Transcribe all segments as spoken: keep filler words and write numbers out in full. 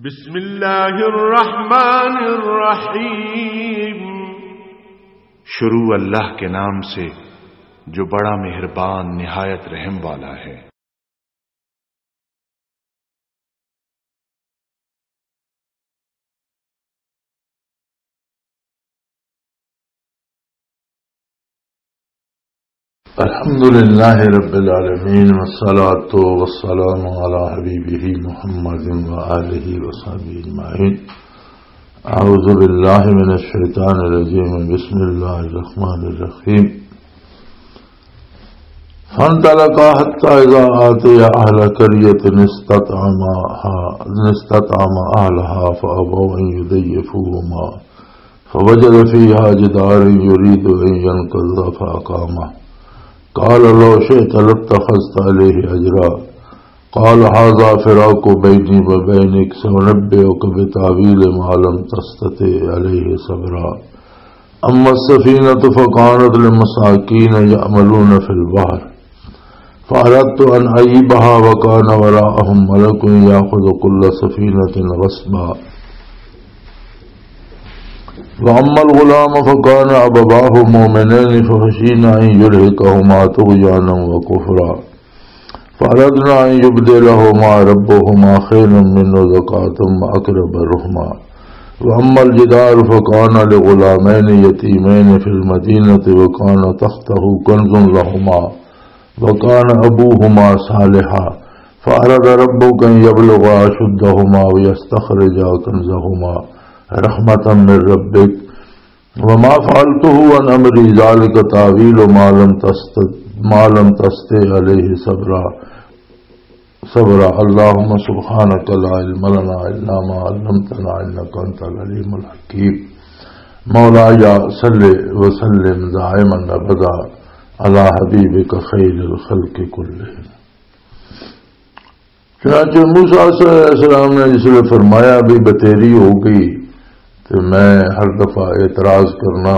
بسم اللہ الرحمن الرحیم۔ شروع اللہ کے نام سے، جو بڑا مہربان، نہایت رحم والا ہے۔ الحمد لله رب العالمين، والصلاة والسلام على حبيبه محمد وآله وصحبه أجمعين. أعوذ بالله من الشيطان الرجيم. بسم الله الرحمن الرحيم. فانطلقا حتى إذا أتيا أهل قرية استطعما، استطعما أهلها فأبوا أن يضيفوهما فوجد فيها جدارا يريد أن ينقض فأقامه. قال لو شئت لاتخذت عليه أجرا. قال هذا فراق بيني وبينك سأنبئك بتأويل ما لم تستطع عليه صبرا. أما السفينة فكانت لمساكين يعملون في البحر فأردت أن أعيبها وكان وراءهم ملك يأخذ كل سفينة غصبا. وأما الغلام فكان أبواه مؤمنين فخشينا أن يرهقهما طغيانا وكفرا فأردنا أن يبدلهما ربهما خيرا منه زكاة وأقرب رحما. وأما الجدار فكان لغلامين يتيمين في المدينة وكان تحته كنز لهما وكان أبوهما صالحا فأراد ربك أن يبلغا أشدهما ويستخرجا كنزهما رحمة من ربك وما فعلته عن أمري ذلك تأويل ما لم تست-، ما لم تستطع عليه صبرا، صبرا. اللهم سبحانك لا علم لنا إلا ما علمتنا إنك أنت العليم الحكيم. مولاي صل وسلم دائما أبدا على حبيبك خير الخلق كلهم. چنانچہ موسیٰ علیہ السلام نے جس ویلے فرمایا بھی بتیری ہو گئی، تو میں ہر دفعہ اعتراض کرنا،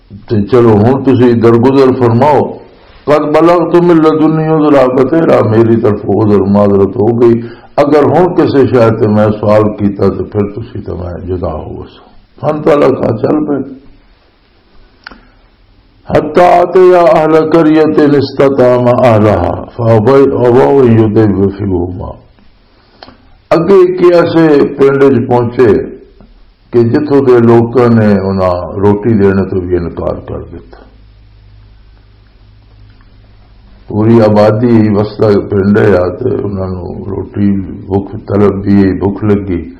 تو چلو ہن تسی درگزر فرماؤ۔ قد بلغت من لدنی عذرا، بتیرا میری طرف عذر معذرت ہو گئی۔ اگر ہن کسے شاید تے میں سوال کیتا تو پھر تسی تے میں جدا ہو وسو۔ فانطلقا، چل پے۔ حتى أتيا أهل قرية استطعما أهلها فأبوا أن يضيفوهما۔ اگے ایک ایسے پنڈ وچ پہنچے کہ جتھوں دے لوکاں نے انہاں روٹی دینے تو بھی انکار کر دتا۔ پوری آبادی وسدا پنڈ ہے، تے انہاں نوں روٹی بھوک طلب دی، بھوک لگی،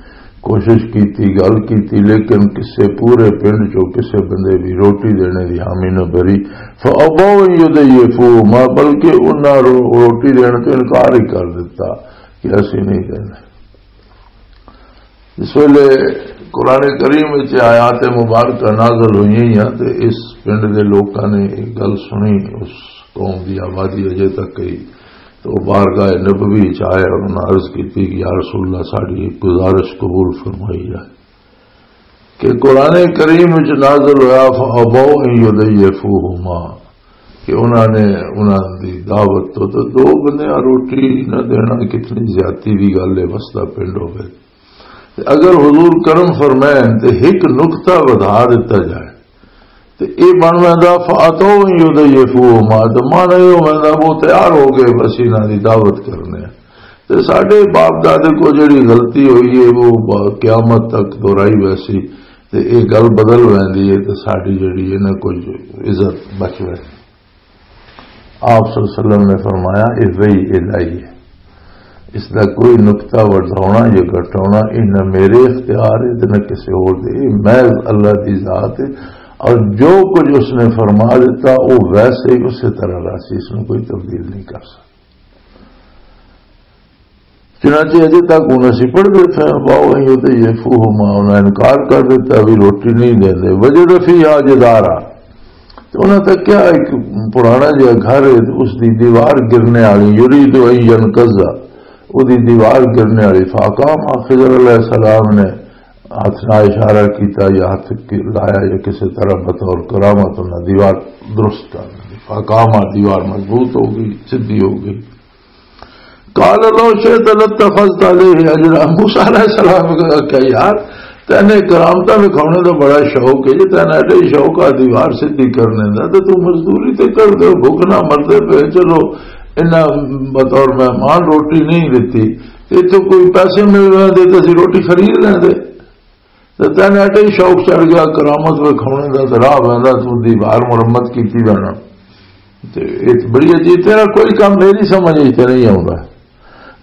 کوشش کیتی، گل کیتی، لیکن کسے پورے پنڈ چوں کسے بندے بھی روٹی دینے دی حامی نہ بھری۔ فأبوا أن يضيفوهما، بلکہ انہاں رو-، روٹی دینے تو انکار ہی کر دتا کہ اسی نہیں دینا۔ اس ویلے قرآن کریم وچ آیات مبارکہ نازل ہوئی ہیں تے اس پنڈ دے لوکاں نے ایک گل سنی، اس قوم دی آبادی اجے تک گئی تو بارگاہ نبوی وچ آئے اور انہاں عرض کیتی کہ یا رسول اللہ، ساڈی ایک گزارش قبول فرمائی جائے کہ قرآن کریم وچ نازل ہویا فأبوا أن يضيفوهما، کہ انہاں نے، انہاں دی دعوت تو، تو دو بندیاں روٹی نہ دینا کتنی زیادتی دی گل ہے، وسدا پنڈ ہوے۔ تے اگر حضور کرم فرمائن تے ایک نقطہ ودھا دتا جائے تے اے بن ویندا فأتوا أن يضيفوهما، تے مانا اے ہو ویندا وہ تیار ہو گئے بس انہاں دی دعوت کرنے۔ تے ساڈے باپ دادے کو جڑی غلطی ہوئی ہے وہ با-، قیامت تک دہرائی ویسی، تے اے گل بدل ویندی ہے تے ساڈی جڑی ہے نا کچھ عزت بچ ویندی۔ آپ صلی اللہ علیہ وسلم نے فرمایا، "اے وحی الہی ہے، اس دا کوئی نقطہ ودھاونا یا گھٹاونا، اے نہ میرے اختیار ہے تے نہ کسی اور دے، اے محض اللہ دی ذات ہے، اور جو کچھ اس نے فرما دیتا، وہ ویسے ہی اسی طرح رہسی، اس میں کوئی تبدیل نہیں کر سکتا۔" چنانچہ اجے تک ہن اسی پڑھدے پئے ہاں، "فأبوا أن يضيفوهما"، انہاں انکار کر دتا، بھی روٹی نہیں دیندے۔ "وجد فيها جدارا"، تے انہاں تکیا ایک پرانا جہا گھر ہے، اس دی دیوار گرنے والی، "يريد أن ينقض"، او دی دیوار گرنے والی۔ "فأقامه"، خضر علیہ السلام نے ہاتھ نال اشارہ کیتا یا ہاتھ کی-، لایا یا کسی طرح بطور کرامت انہاں دیوار درست کر دی۔ "فأقامه"، دیوار مضبوط ہو گئی، سدھی ہو گئی۔ قال لو شئت لاتخذت عليه اجرا۔ موسیٰ علیہ السلام نے کہا کہ یار، تینے کرامتاں وکھاونے دا بڑا شوق ہے، جے تینا ایڈا ہی شوق آ دیوار سدھی کرنے دا، تے تو مزدوری تے کر دے، بھوک نہ مردے پے، چلو انہاں بطور مہمان روٹی نہیں دتی، تے تو کوئی پیسے مل رہے دے تے اسی روٹی خرید لیندے۔ تے تینا ایڈا ہی شوق چڑھ گیا کرامت وکھاونے دا، تے راہ ویندا تو دیوار مرمت کیتی جانا۔ تے یہ بڑی عجیب، تیرا کوئی کام میری سمجھ وچ تے نہیں آوندا۔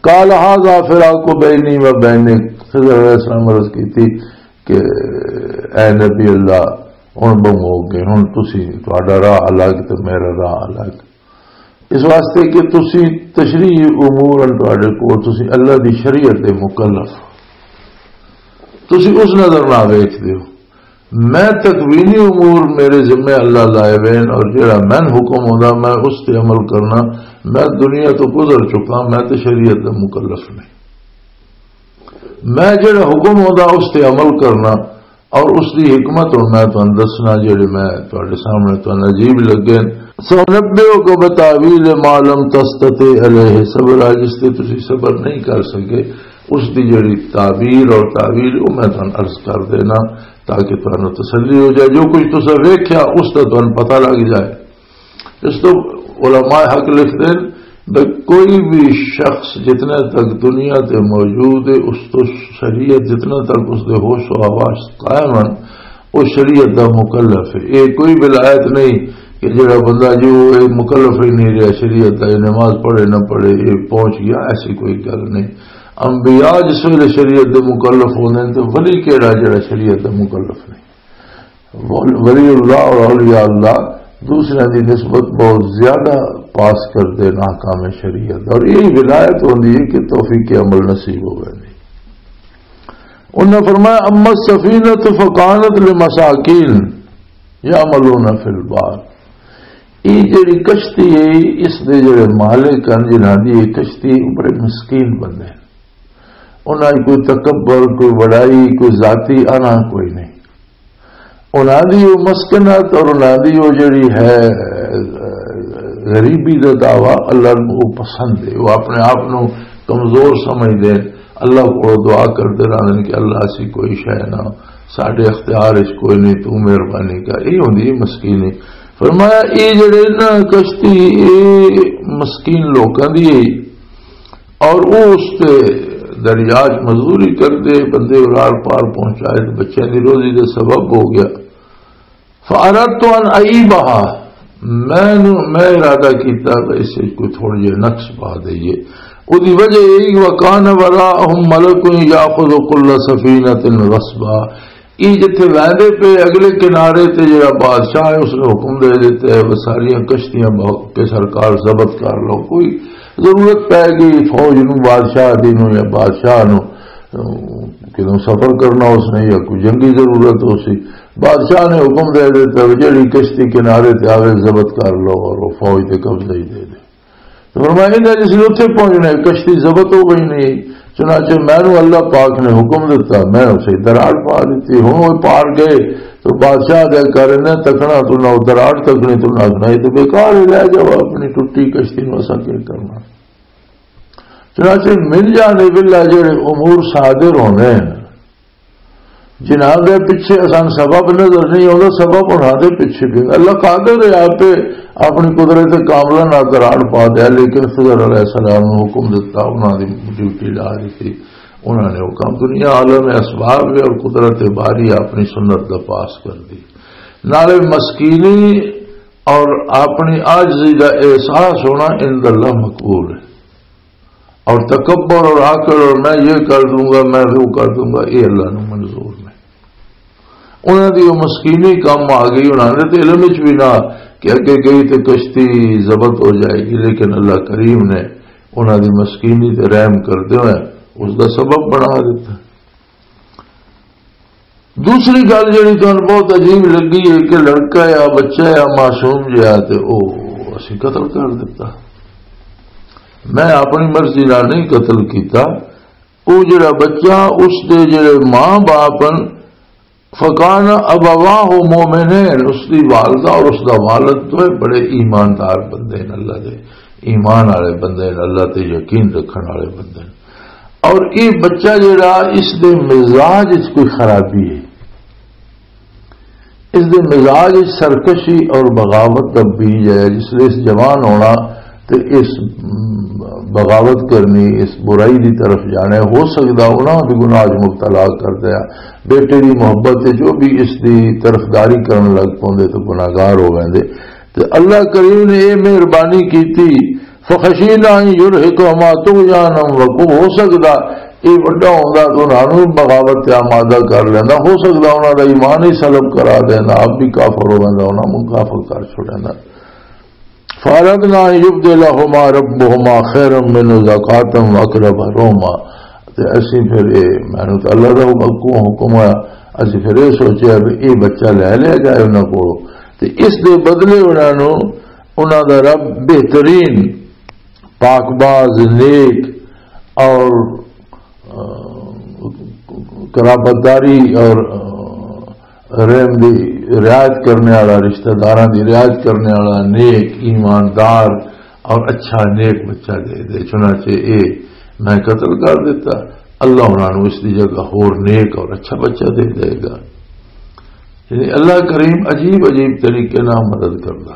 قال هذا فراق بيني وبينك۔ خضر علیہ السلام عرض کیتی کہ اے نبی اللہ، ہن بہوں ہو گئے، ہن تسی، تہاڈا راہ الگ تے میرا راہ الگ۔ اس واسطے کہ تسی تشریعی امور ان تہاڈے کول، تسی اللہ دی شریعت دے مکلف، تسی اس نظر نہ ویکھ دیو۔ میں تکوینی امور میرے ذمے اللہ لائے ہوئے ہیں، اور جڑا میں حکم ہوندا میں اس تے عمل کرنا۔ میں دنیا تو گزر چکا، میں تے شریعت دا مکلف نہیں۔ میں جڑا حکم ہوندا اس تے عمل کرنا، اور اس دی حکمت ہن میں تانوں دسنا، جڑے میں تہاڈے سامنے تانوں عجیب لگے۔ سنبئک بتاویل ما لم تستطع علیہ صبرا، جس تے تسی صبر نہیں کر سکے، اس دی جڑی تعبیر اور تعویل، وہ میں تانوں عرض کر دینا، تاکہ تانوں تسلی ہو جائے۔ جو کچھ تساں ویکھیا، اس دا تانوں پتہ لگ جائے۔ اس تو علماء حق لکھتے ہیں کہ کوئی بھی شخص جتنے تک دنیا تے موجود ہے، اس تو شریعت جتنے تک اس دے ہوش و حواس قائم ہیں، وہ شریعت دا مکلف ہے۔ یہ کوئی ولایت نہیں کہ جڑا بندہ جو ہے مکلف ہی نہیں رہا شریعت دا، یہ نماز پڑھے نہ پڑھے، یہ پہنچ گیا، ایسی کوئی گل نہیں۔ انبیاء جس ویلے شریعت دے مکلف ہوندے نے، تے ولی کیڑا جڑا شریعت دا مکلف نہیں؟ ول-، ولی اللہ اور اولیاء اللہ دوسرے دی نسبت بہت زیادہ پاس کردے نے احکام شریعت، اور یہی ولایت ہوندی ہے کہ توفیق عمل نصیب ہوئے۔ انہاں فرمایا، اما السفینۃ فکانت لمساکین یعملون فی البحر۔ یہ جڑی کشتی ہے، اس دے جڑے مالک ہیں جنہاں دی یہ کشتی ہے، بڑے مسکین بندے ہیں۔ انہاں دی کوئی تکبر، کوئی وڈائی، کوئی ذاتی آنا کوئی نہیں۔ انہاں دی وہ مسکنت اور انہاں دی وہ جڑی ہے، غریبی دا دعویٰ اللہ نوں وہ پسند ہے۔ وہ اپنے آپ نوں کمزور سمجھدے ہیں، اللہ کو دعا کردے رہندے ہیں کہ اللہ اسی کوئی شے نہ، ساڈے اختیار وچ کوئی نہیں، تو مہربانی کر۔ یہ ہوندی ہے مسکینی۔ فرمایا، یہ جڑے نا کشتی، یہ مسکین لوکاں دی ہے، اور وہ اس تے دریا چ مزدوری کردے، بندے ارار پار پہنچائے تے بچیاں دی روزی دے سبب ہو گیا۔ فَأَرَدْتُ أَنْ أَعِيبَهَا، میں نو-، میں ارادہ کیتا کہ اس وچ کوئی تھوڑے جہے نقص پا دئیے۔ اودی وجہ یہی، وَكَانَ وَرَاءَهُمْ مَلَكٌ يَأْخُذُ كُلَّ سَفِينَةٍ غَصْبًا، یہ جتھے ویندے پے اگلے کنارے تے جڑا بادشاہ ہے، اس نے حکم دے دیتا ہے، وہ ساریاں کشتیاں بہو-، کے سرکار ضبط کر لو۔ کوئی ضرورت پے گئی فوج نو، بادشاہ دی نو یا بادشاہ نو، کدوں سفر کرنا اس نے یا کوئی جنگی ضرورت ہو سی، بادشاہ نے حکم دے دیتا، وہ جڑی کشتی کنارے تے آوے ضبط کر لو اور وہ فوج تے قبضہ ہی دے دے۔ تو فرمایا، انہاں جس نے اتھے پہنچنا ہے، کشتی ضبط ہو گئی نہیں۔ چنانچہ مینوں اللہ پاک نے حکم دتا، میں اسے دراڑ پا دتی۔ ہن وہ پار گئے تو بادشاہ دے گھر نے تکنا تو نہ، دراڑ تکنے تو نہ، یہ تو بیکار ہے، لے جاؤ اپنی ٹٹی کشتی نوں، اساں کی کرنا۔ چنانچہ من جانب اللہ جڑے امور صادر ہونے ہیں، جنہاں دے پیچھے اساں سبب نظر نہیں آوندا، سبب انہاں دے پیچھے بھی۔ اللہ قادر ہے آپ اپنی قدرت کاملہ نال دراڑ پا دیا، لیکن خضر علیہ السلام نوں حکم دتا، انہاں دی ڈیوٹی لا دتی۔ انہاں نے وہ کام، دنیا عالم اسباب ہے اور قدرت باری اپنی سنت دا پاس کر دی۔ نالے مسکینی اور اپنی عاجزی دا احساس ہونا عند اللہ مقبول ہے۔ اور تکبر اور آکڑ اور میں یہ کر دوں گا، میں وہ کر دوں گا، یہ اللہ نو منظور نہیں۔ انہاں دی وہ مسکینی کم آ گئی، انہاں نے تے علم وچ بھی نہ کہ اگے گئی تے کشتی ضبط ہو جائے گی، لیکن اللہ کریم نے انہاں دی مسکینی تے رحم کردے ہوئے اس دا سبب بنا دیتا۔ دوسری گل جڑی تانوں بہت عجیب لگی ہے کہ لڑکا یا بچہ یا معصوم جہا تے او اسی قتل کر دتا۔ میں اپنی مرضی نال نہیں قتل کیتا۔ او جڑا بچہ، اس دے جڑے ماں باپ ہن، فکان ابواہ مومنین، اس دی والدہ اور اس دا والد دوئے بڑے ایماندار بندے ہیں اللہ دے۔ ایمان والے بندے نے، اللہ تے یقین رکھن والے بندے نے۔ اور یہ بچہ جڑا، اس دے مزاج وچ کوئی خرابی ہے، اس دے مزاج وچ سرکشی اور بغاوت دا بیج ہے۔ جس لئے اس جوان ہونا تے اس بغاوت کرنی، اس برائی دی طرف جانا ہے۔ ہو سکدا انہاں بھی گناہ وچ مبتلا کر دیا، بیٹے دی محبت تے جو بھی اس دی طرفداری کرن لگ پوندے تے گناہگار ہو ویندے۔ تے اللہ کریم نے یہ مہربانی کیتی، فخشینا ان یرہقہما طغیانا و کفرا۔ ہو سکدا یہ وڈا ہوندا تو انہاں نوں بغاوت تے آمادہ کر لیندا، ہو سکدا انہاں دا ایمان ہی سلب کرا دیندا، آپ بھی کافر ہو ویندا، انہاں نوں کافر کر چھوڑیندا۔ فاردنا ان یبدلہما ربہما خیرا منہ زکاة و اقرب رحما۔ تے اسی پھر اے، مینوں تے اللہ دا حکم، حکم ہویا، اسی پھر اے سوچیا بھی اے بچہ لے لیا جائے انہاں کولوں، تے اس دے بدلے انہاں نوں انہاں دا رب بہترین، پاک باز، نیک اور، آ، قرابت داری اور، آ، رحم دی رعایت کرنے والا، رشتہ داراں دی رعایت کرنے والا، نیک، ایماندار اور اچھا نیک بچہ دے دے۔ چنانچہ اے میں قتل کر دیتا، اللہ انہاں نوں اس دی جگہ ہور نیک اور اچھا بچہ دے دے گا۔ یعنی اللہ کریم عجیب عجیب طریقے نال مدد کردا۔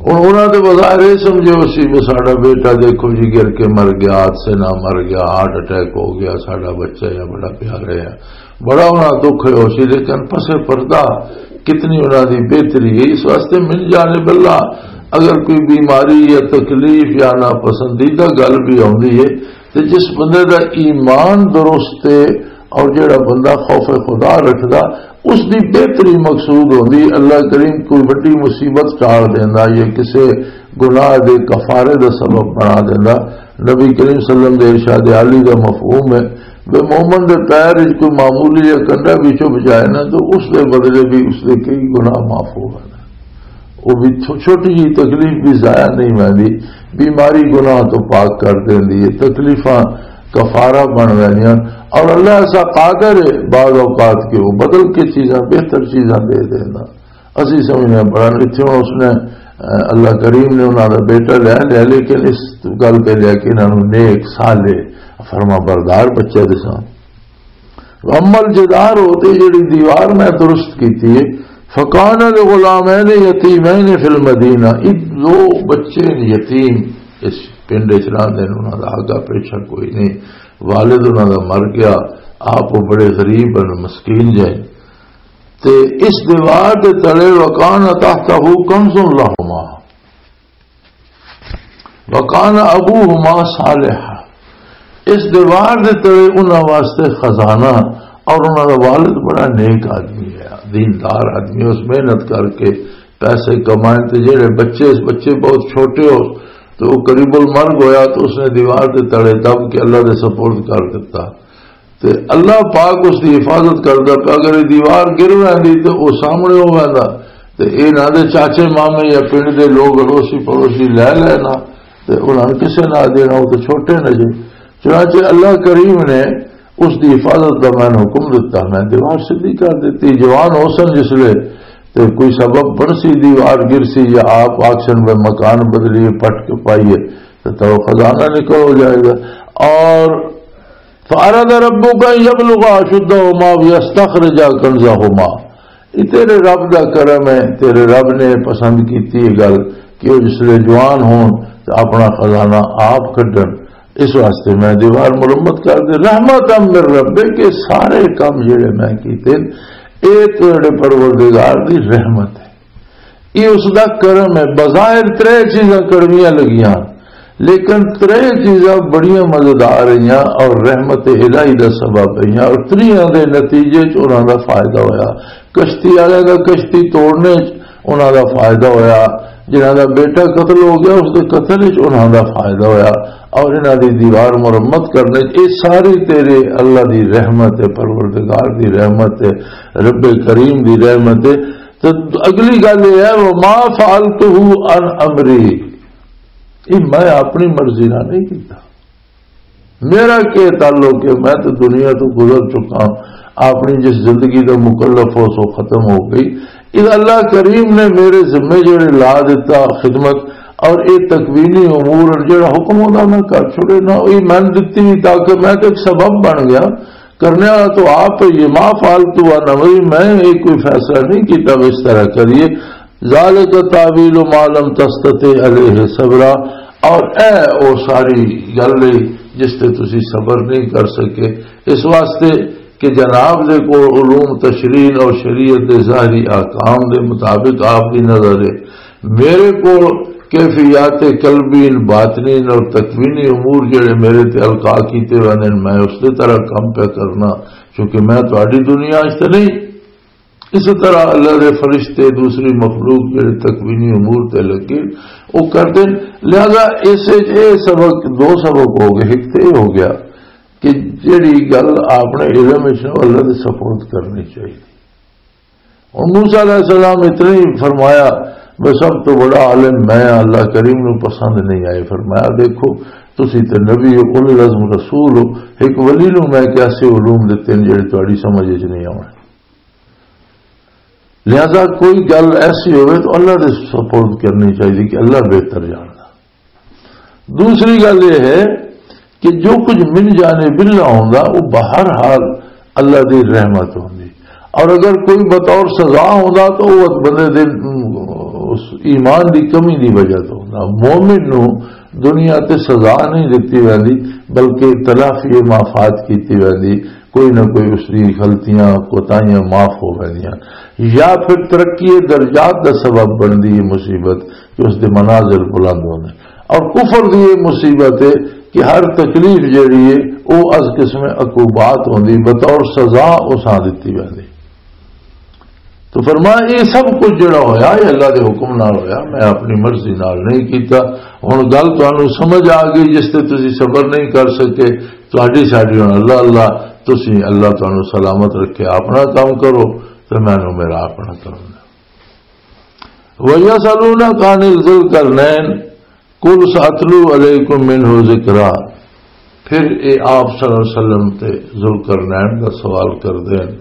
ہن انہاں دے بظاہر یہ سمجھو سی بھی ساڈا بیٹا دیکھو جی گر کے مر گیا، حادثے نال مر گیا، ہارٹ اٹیک ہو گیا، ساڈا بچہ یا بڑا پیارا ہے، بڑا انہاں دکھ ہویا سی، لیکن پسے پردہ کتنی انہاں دی بہتری ہے۔ اس واسطے من جانب اللہ اگر کوئی بیماری یا تکلیف یا ناپسندیدہ گل بھی آوندی ہے، تے جس بندے دا ایمان درست ہے اور جڑا بندہ خوف خدا رکھدا، اس دی بہتری مقصود ہوندی۔ اللہ کریم کوئی وڈی مصیبت ٹال دیندا یا کسے گناہ دے کفارے دا سبب بنا دیندا۔ نبی کریم صلی اللہ علیہ وسلم دے ارشاد عالی دا مفہوم ہے، بے مومن دے پیر وچ کوئی معمولی جہا کنڈا بھی چبھ جائے نا، تو اس دے بدلے بھی اس دے کئی گناہ معاف ہو گئے۔ وہ بھی چھو-، چھوٹی جی تکلیف بھی ضائع نہیں ہوندی، بیماری گناہ تو پاک کر دیندی ہے، تکلیفاں کفارہ بن ویندیاں۔ اور اللہ ایسا قادر ہے بعض اوقات کہ وہ بدل کے چیزاں، بہتر چیزاں دے دینا۔ اسی سمجھنے بڑا، اتھے ہن اس نے، اے، اللہ کریم نے انہاں دا بیٹا لے لیا، لیکن اس گل تے لیا کہ انہاں نوں نیک، صالح، فرما بردار بچے دساں۔ اما الجدار، ہوتے جڑی دیوار میں درست کیتی ہے، فکان لغلامین یتیمین فی المدینہ، یہ دو بچے نے یتیم اس پنڈ وچ رہندے نے، انہاں دا آگا پیچھا کوئی نہیں، والد انہاں دا مر گیا، آپ وہ بڑے غریب ہیں، مسکین جائے۔ تے اس دیوار دے تلے وکان تحتہ کنز لہما، وکان ابوہما صالحا۔ اس دیوار دے تلے انہاں واسطے خزانہ، اور انہاں دا والد بڑا نیک آدمی ہے، دیندار آدمی ہے، اس محنت کر کے پیسے کمائے۔ تے جڑے بچے، اس بچے بہت چھوٹے ہو تو وہ قریب المرگ ہویا، تو اس نے دیوار دے تلے دب کے اللہ دے سپرد کر دیتا۔ تے اللہ پاک اس دی حفاظت کردا پیا۔ اگر یہ دیوار گر ویندی تے او سامنے ہو ویندا، تے اے نہ دے چاچے مامے یا پنڈ دے لوگ اڑوسی پڑوسی لے لینا، تے انہاں نے کسے نہ دینا، وہ تو چھوٹے نے جے۔ چنانچہ اللہ کریم نے اس دی حفاظت دا میں حکم دتا، میں دیوار سیدھی کر دتی۔ جوان ہو سن جس لے تے کوئی سبب بن سی، دیوار گر سی یا آپ آکسن میں مکان بدلیے، پٹ کے پائیے، تو، تو خزانہ نکل ہو جائے گا۔ اور فاراد ربک ان یبلغا اشدہما ویستخرجا کنزہما۔ یہ تیرے رب دا کرم ہے، تیرے رب نے پسند کیتی یہ گل کہ وہ جس لے جوان ہون تے اپنا خزانہ آپ کڈن۔ اس واسطے میں دیوار مرمت کر دے، رحمت من ربک، کہ سارے کام جڑے میں کیتے، اے تیرے پروردگار دی رحمت ہے۔ یہ اس دا کرم ہے۔ بظاہر ترے چیزاں کڑویاں لگیاں، لیکن ترے چیزاں بڑیاں مزیدار رہیاں اور رحمت الہی دا سبب رہیاں، اور تریاں دے نتیجے چ انہاں دا فائدہ ہویا۔ کشتی والے دا کشتی توڑنے چ انہاں دا فائدہ ہویا، جنہاں دا بیٹا قتل ہو گیا، اس دے قتل چ انہاں دا فائدہ ہویا، اور انہاں دی دیوار مرمت کرنے چ۔ یہ ساری تیرے اللہ دی رحمت ہے، پروردگار دی رحمت ہے، رب کریم دی رحمت ہے۔ تو اگلی گل یہ ہے، وما فعلتہ عن امری، یہ میں اپنی مرضی نہ نہیں کیتا۔ میرا کیا تعلق ہے؟ میں تو دنیا تو گزر چکا ہوں، اپنی جس زندگی دا مکلف ہو سو ختم ہو گئی۔ یہ اللہ کریم نے میرے ذمے جڑے لا دیتا خدمت، اور یہ تکوینی امور اور جڑا حکم ہوتا میں کر چھوڑے نہ، یہ میں دتی نہیں، تاکہ میں تو ایک سبب بن گیا۔ کرنے والا تو آپ ہے، یہ ما فعلت عن امری، میں یہ کوئی فیصلہ نہیں کیتا کہ اس طرح کریے۔ ذالک تاویل ما لم تستطع علیہ صبرا، اور اے او ساری گل ہے جس تے تسی صبر نہیں کر سکے۔ اس واسطے کہ جناب دے کول علوم تشریح اور شریعت دے ظاہری احکام دے مطابق آپ دی نظر ہے، میرے کول کیفیات قلبین، باطنین اور تکوینی امور جڑے میرے تے القاء کیتے ہوئے نے، میں اس دے طرح کم پہ کرنا، کیونکہ میں تہاڈی دنیا وچ تے نہیں۔ اس طرح اللہ دے فرشتے، دوسری مخلوق جڑے تکوینی امور تے لگے، وہ کرتے ہیں۔ لہذا اس وچ یہ سبق، دو سبق ہو گئے۔ ایک تے یہ ہو گیا کہ جڑی گل آپ نے علم وچ نہ، اللہ دے سپرد کرنی چاہیے۔ اور موسیٰ علیہ السلام اتنے ہی فرمایا، میں سب تو بڑا عالم میں ہاں، اللہ کریم نو پسند نہیں آئے۔ فرمایا، دیکھو، تسی تے نبی ہو، اولو العزم رسول ہو، ایک ولی نو میں کیسے علوم دتے ہیں جڑے تہاڈی سمجھ وچ نہیں آونے۔ لہذا کوئی گل ایسی ہوئے تو اللہ دے سپرد کرنی چاہیے کہ اللہ بہتر جاندا۔ دوسری گل یہ ہے کہ جو کچھ من جانب اللہ ہوندا، وہ بہر حال اللہ دی رحمت ہوندی، اور اگر کوئی بطور سزا ہوندا تو وہ بندے دے، ام، اس ایمان دی کمی دی وجہ تو ہوندا۔ مومن نو دنیا تے سزا نہیں دتی ویندی، بلکہ تلافی مافات کیتی ویندی، کوئی نہ کوئی اس دی غلطیاں، کوتاہیاں معاف ہو ویندیاں، یا پھر ترقی درجات دا سبب بندی ہے مصیبت کہ اس دے منازل بلند ہوندے۔ اور کفر دی یہ مصیبت ہے کہ ہر تکلیف جڑی ہے، وہ از قسم عقوبات ہوندی، بطور سزا اساں دتی ویندی۔ تو فرمایا، یہ سب کچھ جڑا ہویا، یہ اللہ دے حکم نال ہویا، میں اپنی مرضی نال نہیں کیتا۔ ہن گل تانوں سمجھ آ گئی، جس تے تسی صبر نہیں کر سکے، تہاڈی ساڈی ہن اللہ اللہ، تسی اللہ تانوں سلامت رکھے، اپنا کام کرو تے مینوں میرا اپنا کرن دیو۔ وَيَسْأَلُونَكَ عَنِ ذِي الْقَرْنَيْنِ قُلْ سَأَتْلُو عَلَيْكُمْ مِنْهُ ذِكْرًا۔ پھر اے آپ صلی اللہ علیہ وسلم تے ذوالقرنین دا سوال کردے ہیں۔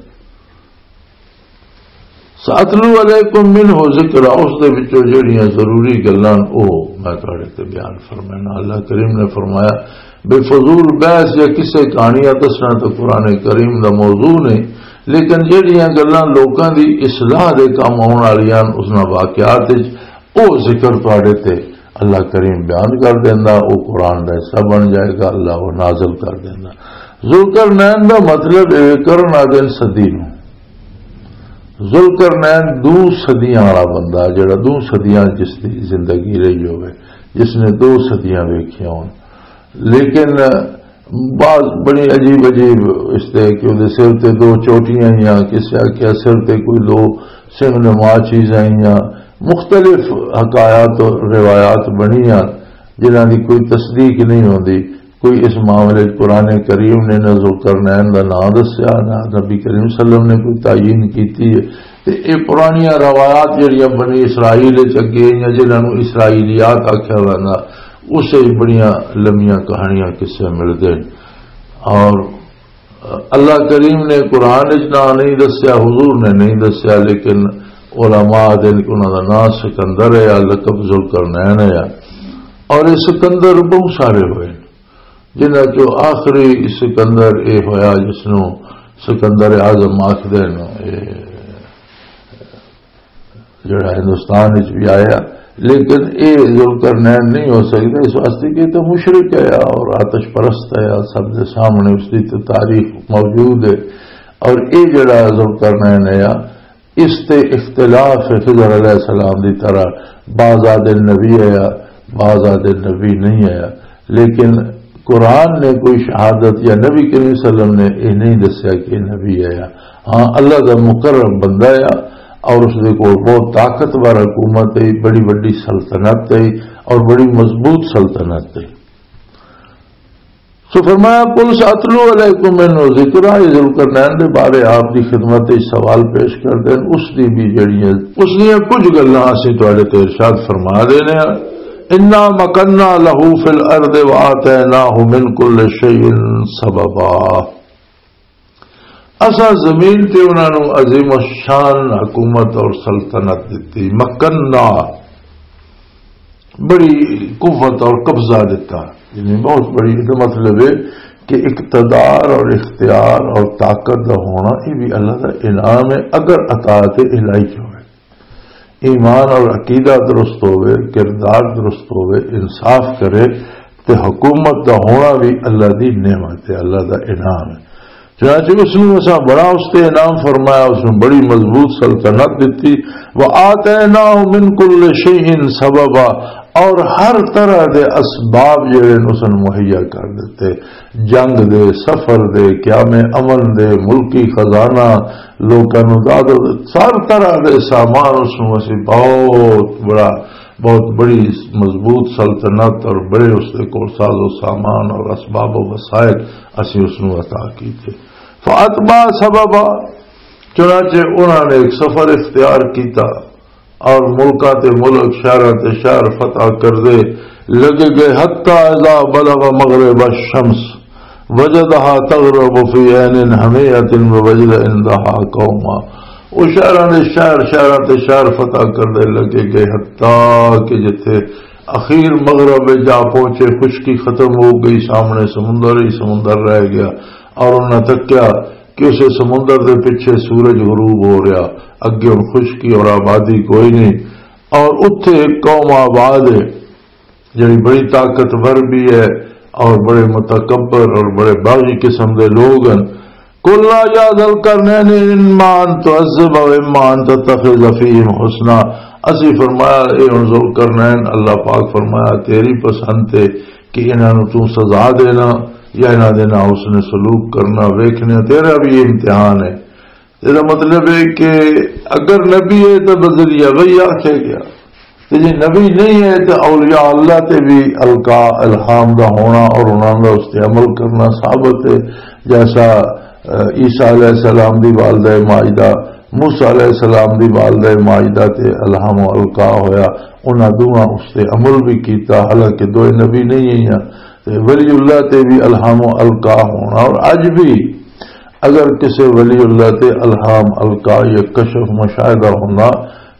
سَأَتْلُو عَلَيْكُمْ مِنْهُ ذِكْرًا، اس دے وچوں جڑیاں ضروری گلاں او میں تہاڈے تے بیان فرمانا۔ اللہ کریم نے فرمایا، بے فضول بحث یا قصے کہانیاں دسنا تو قرآن کریم دا موضوع نہیں، لیکن جڑیاں گلاں لوکاں دی اصلاح دے کم آن والیاں، اس نال واقعات وچ او ذکر تہاڈے تے اللہ کریم بیان کر دیندا، او قرآن دا حصہ بن جائے گا، اللہ او نازل کر دیندا۔ ذوالقرنین دا مطلب اے، کرن آدن صدی نوں۔ ذوالقرنین دو صدیاں والا بندہ، جڑا دو صدیاں جس دی زندگی رہی ہوئے، جس نے دو صدیاں ویکھیاں ہون، لیکن بعض بڑی عجیب عجیب اس تے کہ اودے سر تے دو چوٹیاں یا کسے آکھیا سر تے کوئی دو سنگ نما چیزاں یا مختلف حکایات اور روایات بنیاں، جنہاں دی کوئی تصدیق نہیں ہوندی۔ کوئی اس معاملے وچ قرآن کریم نے نہ ذوالقرنین دا نام دسیا، نہ نبی کریم صلی اللہ علیہ وسلم نے کوئی تعین کیتی ہے۔ تے اے پرانیاں روایات جڑیاں بنی اسرائیل وچ اگے یا جنہاں نوں اسرائیلیات آکھیا ویندا، اس وچ بڑیاں لمیاں کہانیاں قصے ملدے نے۔ اور اللہ کریم نے قرآن وچ نہ نہیں دسیا، حضور نے نہیں دسیا، لیکن علماء دے انہاں دا نام سکندر ہے یا لقب ذوالقرنین ہے۔ اور یہ سکندر بہت سارے ہوئے، جنہاں چوں آخری سکندر یہ ہویا جس نوں سکندر اعظم آکھدے نے۔ جڑا ہندوستان وچ بھی آیا، لیکن اے ذوالقرنین نہیں ہو سکتا، اس واسطے کہ تو مشرک ہے اور آتش پرست ہے، سب دے سامنے اس دی تو تاریخ موجود ہے۔ اور اے جڑا ذوالقرنین ہے، اس تے اختلاف ہے، خضر علیہ السلام دی طرح بعض آدھے نبی آیا، بعض آدھے نبی نہیں آیا، لیکن قرآن نے کوئی شہادت یا نبی کریم صلی اللہ علیہ وسلم نے یہ نہیں دسیا کہ یہ نبی آیا۔ ہاں، اللہ دا مقرب بندہ آیا اور اس دے کول بہت طاقتور حکومت ہے، بڑی بڑی سلطنت ہے اور بڑی مضبوط سلطنت ہے۔ سو فرمایا، "قل سأتلو علیکم منہ ذکرا"، یہ ذوالقرنین دے بارے آپ دی خدمت وچ سوال پیش کر دین، اس دی بھی جڑی ہے، اس دیاں کچھ گلاں اسی تواڈے تے ارشاد فرما دینے ہاں۔ "انا مکننا لہ فی الارض وآتیناہ من کل شیء سببا"، اساں زمین تے انہاں نوں عظیم الشان حکومت اور سلطنت دتی۔ مکننا، بڑی قوت اور قبضہ دیتا، یعنی بہت بڑی، اس کا مطلب ہے کہ اقتدار اور اختیار اور طاقت دا ہونا، یہ بھی اللہ دا انعام ہے۔ اگر اطاعت الہی ہوئے، ایمان اور عقیدہ درست ہوئے، کردار درست ہوئے، انصاف کرے، تے حکومت دا ہونا بھی اللہ دی نعمت ہے، اللہ دا انعام ہے۔ چنانچہ اس نے اسا بڑا اس تے انعام فرمایا، اس نے بڑی مضبوط سلطنت دیتی۔ وآتیناہ من کل شیء سببا، اور ہر طرح دے اسباب جڑے نے اس نے مہیا کر دیتے، جنگ دے، سفر دے، قیام امن دے، ملکی خزانہ، لوکاں نوں داد، ہر طرح دے سامان اس نوں اسی بہت بڑا، بہت بڑی مضبوط سلطنت اور بڑے اس دے کول ساز و سامان اور اسباب و وسائل اسی اس نوں عطا کیتے۔ فاتبع سببا، چنانچہ انہاں نے ایک سفر اختیار کیتا اور ملکاں تے ملک، شہراں تے شہر فتح کردے لگے گئے، حتی اذا بلغ مغرب الشمس وجدها تغرب في عين حمئة ووجد عندها قوما۔ وہ شہراں دے شہر، شہراں تے شہر فتح کردے لگے گئے، حتی کہ جتھے اخیر مغرب جا پہنچے، خشکی ختم ہو گئی، سامنے سمندر ہی سمندر رہ گیا۔ اور انہاں تکیا کہ اسے سمندر دے پیچھے سورج غروب ہو رہا، اگے ہن خشکی اور آبادی کوئی نہیں، اور اتھے ایک قوم آباد ہے جڑی بڑی طاقتور بھی ہے اور بڑے متکبر اور بڑے باغی قسم دے لوگ ہیں۔ قلنا یا ذا القرنین اما ان تعذب و اما ان تتخذ فیہم حسنا۔ اسی فرمایا، اے ہن ذوالقرنین، اللہ پاک فرمایا، تیری پسند تے کہ انہاں نوں تو سزا دینا یا انہاں دے نال اس نے سلوک کرنا، ویکھنے تیرا بھی امتحان ہے۔ اس دا مطلب ہے کہ اگر نبی ہے تو بذریعہ وحی آکھیا گیا، تے جے نبی نہیں ہے تو اولیاء اللہ تے بھی القاء الہام دا ہونا اور انہاں دا اس تے عمل کرنا ثابت ہے۔ جیسا، اہ، عیسیٰ علیہ السلام دی والدہ ماجدہ، موسیٰ علیہ السلام دی والدہ ماجدہ تے الہام و القاء ہویا، انہاں دوواں اس تے عمل بھی کیتا، حالانکہ دوئے نبی نہیں ہیں۔ تے ولی اللہ تے بھی الہام و القاء ہونا، اور اج بھی اگر کسے ولی اللہ تے الہام القاء یا کشف مشاہدہ ہوندا،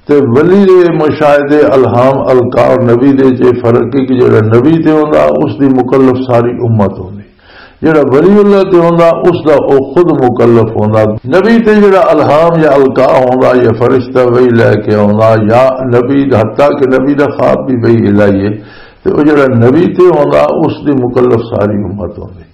تے ولی دے مشاہدے الہام القاء اور نبی دے چے فرق ہے کہ جڑا نبی تے ہوندا، اس دی مکلف ساری امت ہوندی، جڑا ولی اللہ تے ہوندا، اس دا او خود مکلف ہوندا۔ نبی تے جڑا الہام یا القاء ہوندا یا فرشتہ وہی لے کے ہوندا یا نبی دا، حتیٰ کہ نبی دا خواب بھی وہی الہی ہے، تے او جڑا نبی تے ہوندا، اس دی مکلف ساری امت ہوندی۔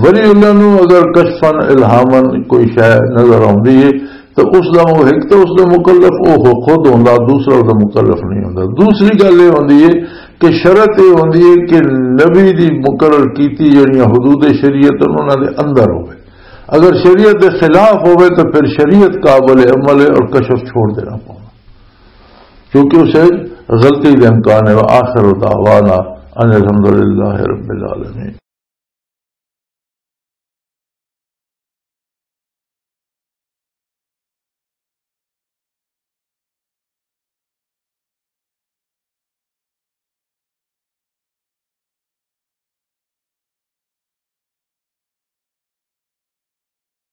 ولی اللہ نو اگر کشفاً الہاماً کوئی شے نظر آندی ہے، تو اس دا وہ ایک تو اس دا مکلف وہ خود ہوندا، دوسرا اس دا مکلف نہیں ہوندا۔ دوسری گل یہ ہوندی ہے کہ شرط یہ ہوندی ہے کہ نبی دی مقرر کیتی جڑیاں حدود شریعت انہاں دے اندر ہوئے۔ اگر شریعت دے خلاف ہوئے تو پھر شریعت قابل عمل ہے اور کشف چھوڑ دینا پونا، کیونکہ اسے غلطی دے امکان ہے۔ وآخر دعوانا ان الحمدللہ رب العالمین۔